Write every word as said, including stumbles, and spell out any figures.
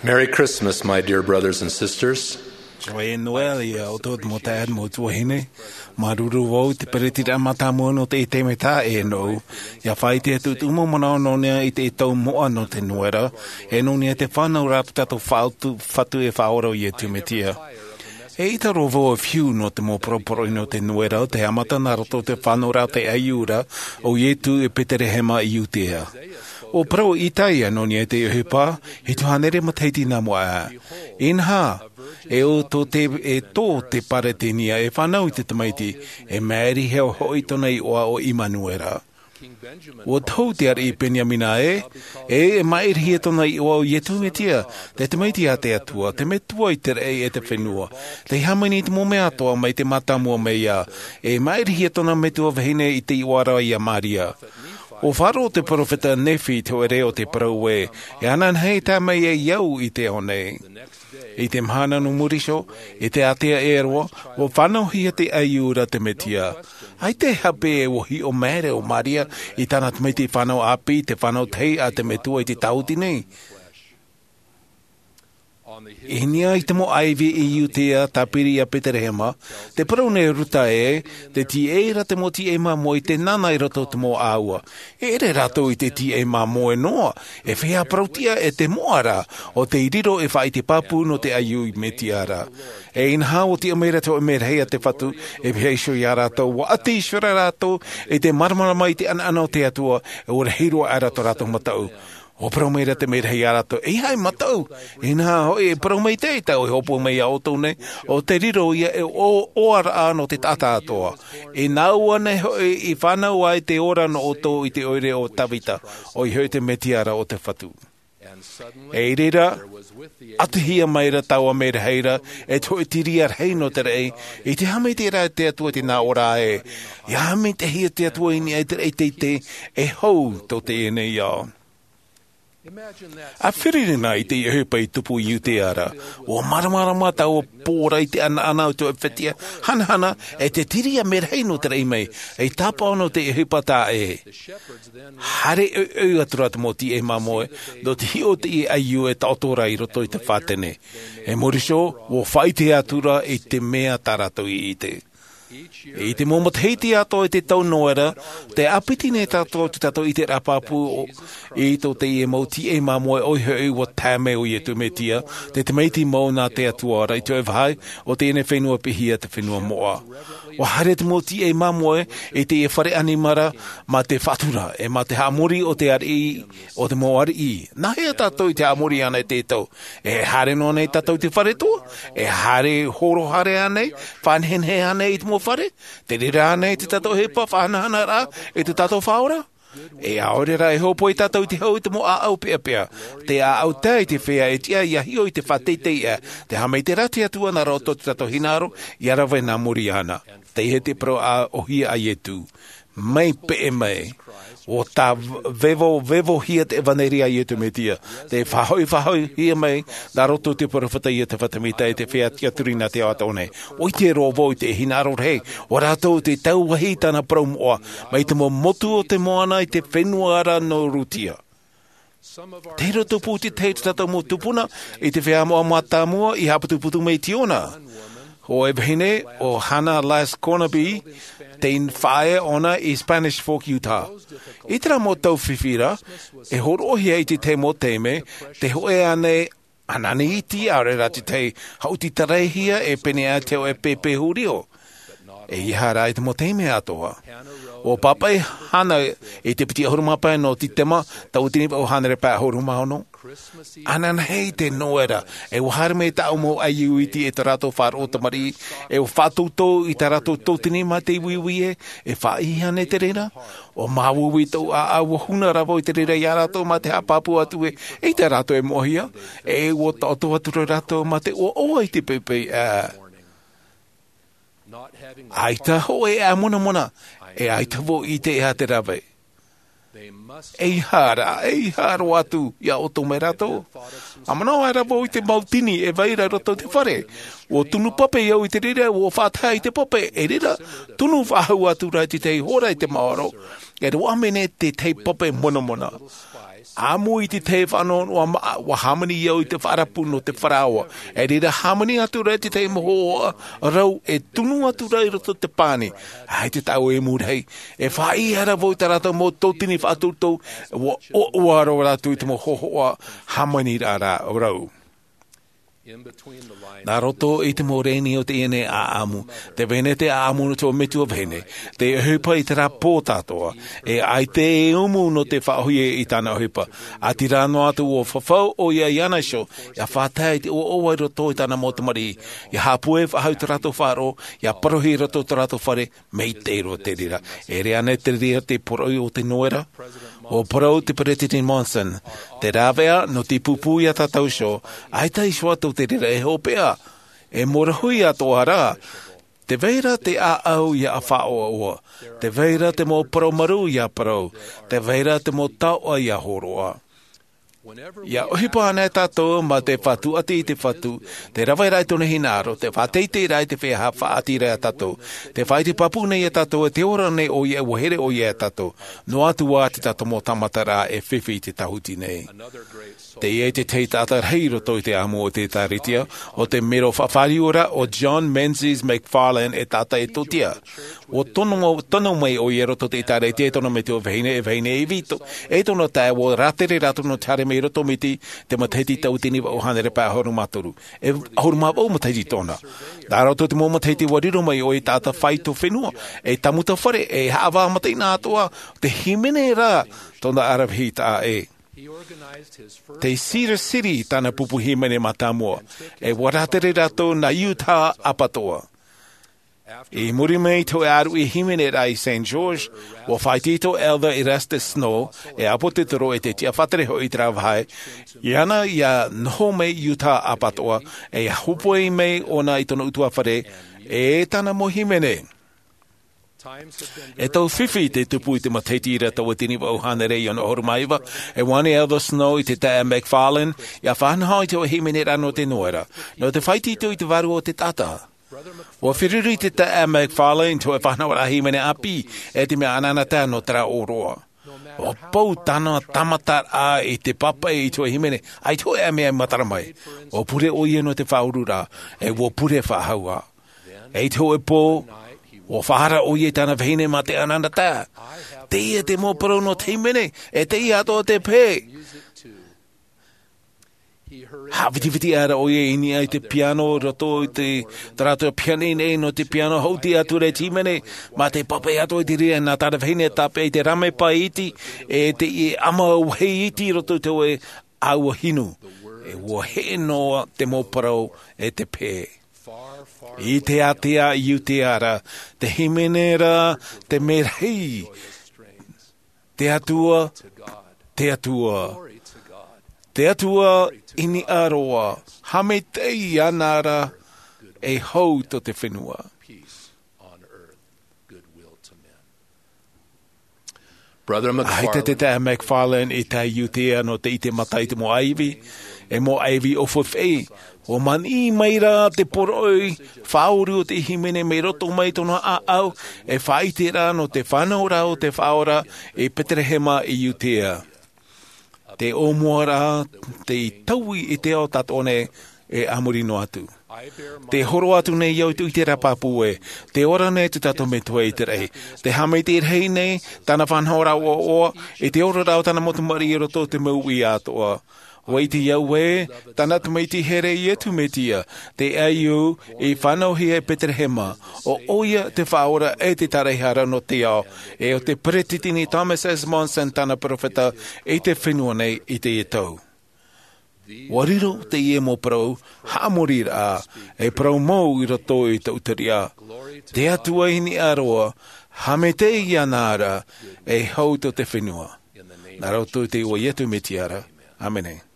Merry Christmas, my dear brothers and sisters. Joyeux Noël, ia ʻoutou mau taeaʻe, mau tuahine. Māuruuru vau i te peretitiraʻa mātāmua nō teie taime tā ʻē nōʻu. ʻIa faʻaʻite atu te mau manaʻo nō niʻa i te tau moʻa nō te Noera, e nō niʻa i te fānauraʻa tā tātou Fatu, Fatu e Faʻaora ʻo Iesu Mesia. E ʻita roa vau e fiu nō te mau poroporoʻi nō te Noera, te haʻamata nā roto i te fānauraʻa o te ʻaiū ra ʻo Iesu i Betelehema i Iudea. ʻUa parau ʻo Isaia nō niʻa i te ʻohipa, hitu hānere matahiti nā mua aʻe. Inaha, e ʻo tō te, e tō te Peretānia e fānau i te Tamaiti, e maʻirihia hoʻi tōna iʻoa ʻo Imanuera. ʻUa tohu te ariʻi Beniamina ē, e, e maʻirihia tōna iʻoa ʻo Iesu Mesia, te Tamaiti a te Atua, te Metua i te raʻi e te fenua, tei hāmani i te mau mea atoʻa mai te mātāmua mai iā, e maʻirihia tōna metua vahine i te iʻoa ra iā Maria. ʻUa faʻaroʻo te peropheta Nephi i te hōʻē reo o te parau ē, e ananahi e tae mai ai au i te ao nei. I te mahana nō muri iho, i te ātea ʻē roa, ʻua fānauhia te ʻaiū ra te Mesia. ʻAita e hape ʻua hiʻo maere ʻo Maria i tāna tamaiti fānau ʻāpī, te fānau tahi a te Metua i te tāuti nei. I niʻa i te mau ʻāivi i Iudea tāpiri iā Betelehema, tē parau nei Ruta ē, tē tīaʻi ra te mau tīaʻi māmoe i te nana i roto i te mau ʻāua. E ʻere rātou i te tīaʻi māmoe noa, e feiā parauʻtiʻa e te moʻa ra, ʻo tei riro e faʻaʻite pāpū nō te ʻaiū Mesia ra. E inaha ʻua tiʻa mai ra te hōʻē merahi a te Fatu, e pihaʻi iho iā rātou, ʻua ʻati iho ra rātou, i te māramarama i te ʻanaʻana o te Atua, e ʻua rahi roa aʻera tō rātou mataʻu. ʻUa parau mai ra te merahi iā rātou, ʻeiaha e mataʻu, inaha hoʻi e parau maitaʻi tāʻu e hōpoi mai iā ʻoutou nei, ʻo tei riro ïa e ʻo-, ʻoaraʻa nō te taʻata atoʻa. E nāua nei hoʻi i fānau ai te ora nō ʻoutou i te ʻoire o Tavita, ʻoia hoʻi te Mesia ra o te Fatu. E i reira, ʻatihia mai ra taua merahi ra, e te hōʻē tiriʻa rahi nō te raʻi, i te haʻamaitaʻiraʻa a te Atua i te nā ʻō ra ē, ʻia haʻamaitaʻihia te Atua i niʻa i te raʻi teitei, e hou tō teie nei ao. ʻA firi na i te ʻohipa i tupu i Iudea ra, ʻua māramarama taua pō ra i te ʻanaʻana o te hōʻē fetiʻa hanahana, e te tiriʻa merahi nō te raʻi mai, e tāpaʻo nō te ʻohipa tā ē. Haere ʻoiʻoi atu ra te mau tīaʻi māmoe, nō te hiʻo i te ʻaiū e taʻoto ra i roto i te fātene. E muri iho, ʻua faʻaʻite atu ra i te mea tā rātou i ʻite. I te mau matahiti atoʻa i te tau Noera, tē ʻāpiti nei tātou i tō tātou ʻiteraʻa pāpū o, i tō teie mau tīaʻi māmoe ʻoia hoʻi ʻua tae mai ʻo Iesu Mesia, te tamaiti mau nā te Atua ra i te hōʻē vāhi, ʻo teie nei fenua piʻihia te fenua moʻa. ʻUa haere te mau tīaʻi māmoe i teie fare ʻanimara mā te faʻatura, e mā te haʻamori o te ariʻi, o te mau ariʻi. Nāhea tātou i te haʻamori ana i te tau? E haere noa nei tātou i te fare atoʻa? E haere horo haere ānei, faʻanehenehe ānei i te mau fare? Te reira ānei te tātou ʻohipa faʻahanahana ra i tō tātou Faʻaora? E ʻaore rā e hōpoi tātou i te hau i te mau ʻāʻau peʻapeʻa. Te ʻāʻau tae i te feiā e tiʻa ʻia hiʻo i te faʻateitei ʻē, te haʻamaitaʻi ra te Atua nā roto i tō tātou hinaʻaro, ʻia rave nā muri iāna. Teie te parau ʻōhie a Iesu. Mai peʻe mai. ʻUa tāvevovevohia te ʻevaneria a Iesu Mesia. Tē faʻahoʻifaʻahoʻihia mai, nā roto i te peropheta Iosepha Semita i te feiā tiʻaturi nā te ao atoʻa nei. ʻUa ʻite roa vau i te hinaʻaro rahi, ʻo rātou tē tauvahi i tāna parau moʻa, mai te mau motu o te moana i te fenua ra nō Rutia. Te roto pū te tahi o tō tātou mau tupuna, i te feiā moʻa mātāmua i haʻaputuputu mai i Siona. Hōʻē vahine, ʻo Hannah Last Cornaby, tei faʻaea ʻōna i Spanish Fork, Utah. I terā mau tau fifi ra, e hōroʻahia i te tahi mau taime, te hōʻē ānei ʻanani iti, ʻaore rā te tahi haʻuti taraehia e pēneiaʻe te hōʻē pēpē hūrio. ʻEiaha rā i te mau taime atoʻa. ʻUa pāpaʻi Hannah i te piti ʻahuru mā pae nō Setema, tauatini vaʻu hānere pae ʻahuru mā ono. Ananahi te Noera, e ʻua haere mai tāʻu mau ʻaiū iti e tō rātou faʻaroʻo tamariʻi, e ʻua faʻatautau i tā rātou tauatini mā te uiui ē, e faʻaʻī ānei te reira? ʻUa māuiui tōʻu ʻāʻau, ʻua huna rā vau i te reira iā rātou mā te haʻapāpū atu ē, ʻeita rātou e moʻehia, e ʻua taʻoto atu ra rātou mā te ʻoaʻoa i te poʻipoʻi ʻē. ʻAita hōʻē ʻāmonamona, e ʻaita vau i ʻite ʻeiaha te rave. ʻEiaha rā, ʻeiaha roa atu, ʻia ʻoto mai rātou. ʻA manaʻo aʻera vau i te mau tini e vai ra i roto i te fare. ʻUa tunu pape au i te reira, ʻua faʻatae i te pape, e reira, tunu faʻahou atu ra i te tahi hora i te maoro. E roaʻa mai nei te tahi pape monamona. ʻĀmui i te tahi faʻanahonaho maʻa, ʻua hāmani au i te faʻarapu nō te faraoa. E reira hāmani atu ra i te tahi mau hōhoʻa rau e tunu atu ra i roto i te pani. ʻAita tāʻu e mūrahi. E faʻaʻī ra vau i tā rātou mau tōtini faʻatoutou, ʻua ʻoaʻoa roa rātou i te mau hōhoʻa hāmani ra rau. Nā roto i te mau rēni o teie nei ʻāʻamu, te vahine te ʻāʻamu nō te metua vahine, te ʻohipa i terā pō tātou, e ʻaita e umu nō te faʻaʻōhie i tāna ʻohipa. ʻĀtīrā noa atu ʻua fafau ʻoia iāna iho, ʻia faʻatae i te ʻoaʻoa i roto i tāna mau tamariʻi, ʻia haʻapūai faʻahou i tō rātou faʻaroʻo, ʻia parauhia i roto i tō rātou fare, Mai te reira, e riro ānei te reira te poroʻi o te noera? ʻUa parau te Peresideni Monson, te rāveʻa nō te pūpū iā tātou iho, ʻaita iho atu te reira e hopeʻa, e mōrahui atoʻa rā, tē vai ra te ʻāʻau ʻia faʻaʻoaʻoa, tē vai ra te mau parau marū ʻia parau, tē vai ra te mau taoʻa ʻia hōroʻa. ʻIa ʻohipa anaʻe tātou mā te faʻatuati i te Fatu, te rave ra i tōna hinaʻaro, te faʻateitei ra i te feiā faʻaʻati ra iā tātou, te faʻaʻite pāpū nei iā tātou, e te ora nei ʻoia, ʻua here ʻoia iā tātou, noa atu ā te tātou mau tāmataraʻa e fifi i te tāhuti nei. Teie te tahi taʻata rahi i roto i te ʻāʻamu o te ʻĒtārētia, ʻo te mero faʻafāriu ra ʻo John Menzies McFarlane, e taʻata Etiotia. ʻUa tono, tono mai ʻoia i roto i te ʻĒtārētia e tōna metua vahine, e vahine e vito, e tōna taeaʻe, ʻua rātere rātou nō te haere mai i roto mai te, te matahiti tauatini vaʻu hānere pae ʻahuru mā toru. E ʻahuru mā vaʻu matahiti tōna. Nā roto i te mau matahiti ʻua riro mai ʻoia i te taʻata faito fenua, e tāmuta fare, e haʻavā mataʻeinaʻa atoʻa, te hīmene ra tōna aravihi taʻa ʻē. Tei Cedar City tāna pupu hīmene mātāmua, e ʻua rātere rātou nā Utah ʻapatoʻa. I muri mai i te hōʻē ʻāruʻi hīmene ra i Saint George, ʻua faʻaitoito ʻo Elder Erastus Snow, e ʻāpōsetolo e te tiʻafaʻatere hoʻi i terā vāhi, iāna ʻia noho mai Utah ʻapatoʻa, e hōpoi mai ʻōna i tōna ʻutuāfare, e tāna mau hīmene. E tau fifi te tupu i te matahiti ra tauatini vaʻu hānere iva ono ʻahuru mā iva, e ʻua ani Elder Snow i te taeaʻe McFarlane, ʻia faʻanaho i te hōʻē hīmene ra nō te noera, nō te faʻaitoito i te vārua o te taʻata. ʻUa feruri te taeaʻe McFarlane i te hōʻē faʻanahoraʻa hīmene ʻāpī, e te mea anaanatae nō terā ʻōroʻa. ʻUa pau tāna tāmataraʻa i te pāpaʻi i te hōʻē hīmene, ʻaita e hōʻē mea i matara mai. ʻUa pure ʻoia nō te faʻaururaʻa, e ʻua pure faʻahou ā. E i te hōʻē pō, ʻua faʻaara ʻoia i tāna vahine mā te anaanatae. Teie te mau parau nō te hīmene, e teie atoʻa te pehe. Haʻavitiviti aʻera ʻoia i niʻa i te piano, i roto i te, tā rātou piha nei nō te piano, haʻuti atu ra i te hīmene, mā te pāpaʻi atoʻa i te reira nā tāna vahine tāpeʻa i te rāmepa iti, e teie ʻama vāhi iti i roto i te hōʻē ʻāua hinu. E ʻua heʻe noa te mau parau e te pehe. I te ātea i Iudea ra, te hīmene ra, te merahi, te Atua, te Atua, te Atua i niʻa roa, haʻamaitaʻi iāna ra, e hau tō te fenua. Brother McFarlane. ʻAita te taeaʻe McFarlane i tae i Iudea nō te ʻite mata i te mau ʻāivi, e mau ʻāivi ʻōfaʻi. ʻUa maniʻi mai rā te poroʻi faʻauri o te hīmene mai roto mai tōna ʻāʻau, e faʻaʻite rā nō te fānauraʻa o te Faʻaora i Peterehema i Iudea. Te ʻōmuaraʻa, tei taui i te ao tātou nei, e a muri noa atu. Tē hōroʻa atu nei au i te ʻiteraʻa pāpū ē, tē ora nei tō tātou Metua i te raʻi. Tē haʻamaitaʻi rahi nei tāna faʻanahoraʻa ʻoaʻoa, i te oraraʻa o tāna mau tamariʻi i roto i te mau uʻi atoʻa. ʻUa ʻite au ē, tāna Tamaiti here Iesu Mesia, te ʻaiū i fānauhia i Peterehema, ʻo ʻoia te Faʻaora e te Tāraʻehara nō te ao, e ʻo te Peresideni Thomas S. Monson tāna perofeta i te fenua nei i teie tau. ʻUa riro teie mau parau haʻamoriraʻa, e parau mau i roto i tō ʻoutou ʻāʻau. Te Atua i niʻa roa, haʻamaitaʻi iāna ra, e hau tō te fenua. Nā roto i te iʻoa o Iesu Mesia ra. ʻĀmene.